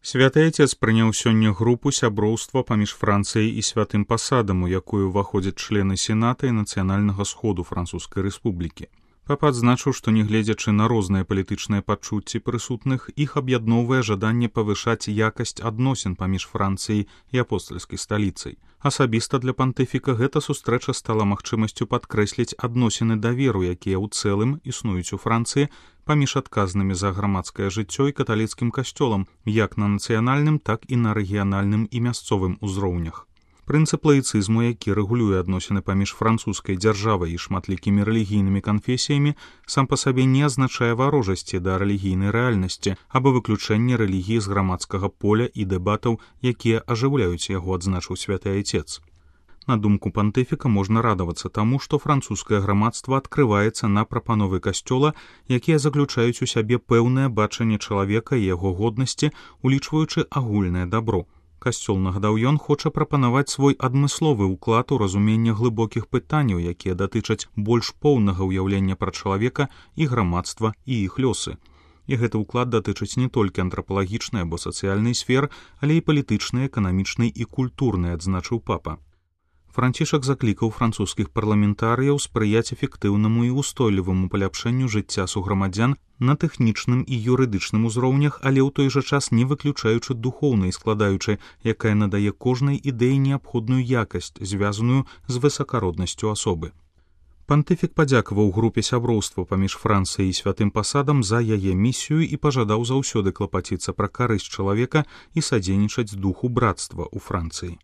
Святы Отец прыняў сёння групу сяброўства паміж Францыяй і святым пасадам, у якую ўваходзяць члены Сената і Нацыянальнага сходу Французскай Рэспублікі. Папа адзначыў, што нягледзячы на розныя палітычныя пачуцці прысутных, іх аб'ядноўвае жаданне павышаць якасць адносін паміж Францыяй і апостальскай сталіцай. Асабіста для пантыфіка гэта сустрэча стала магчымасцю падкрэсліць адносіны даверу, якія ў цэлым існуюць у Францыі паміж адказнымі за грамадскае жыццё і каталіцкім касцёлам, як на нацыянальным, так і на рэгіянальным і мясцовым узроўнях. Прынцып лаіцызму, які рэгулюе адносіны паміж французскай дзяржавай і шматлікімі рэлігійнымі канфесіямі, сам па сабе не азначае варожасці да рэлігійнай рэальнасці або выключэння рэлігіі з грамадскага поля і дэбатаў, якія ажыўляюць яго, адзначыў святы Отец. На думку пантыфіка, можна радавацца таму, што французскае грамадства адкрываецца на прапановы касцёла, якія заключаюць у сябе пэўнае бачанне чалавека і яго годнасці, улічваючы агульнае дабро. Касцёл, нагадаў ён, хоча прапанаваць свой адмысловы ўклад у разуменне глыбокіх пытанняў, якія датычаць больш поўнага ўяўлення пра чалавека і грамадства і іх лёсы. І гэты ўклад датычыць не толькі антрапалагічнай або сацыяльнай сфер, але і палітычнай, эканамічнай і культурнай, адзначыў папа. Францішак заклікаў французскіх парламентарыяў спрыяць эфектыўнаму і ўстойліваму паляпшэнню жыцця суграмадзян на тэхнічным і юрыдычным узроўнях, але ў той жа час не выключаючы духоўнай складаючай, якая надае кожнай ідэі неабходную якасць, звязаную з высакароднасцю асобы. Пантыфік падзякаваў групе сяброўства паміж Францыяй і святым пасадам за яе місію і пажадаў заўсёды клапаціцца пра карысць чалавека і садзейнічаць духу брацтва ў Францыі.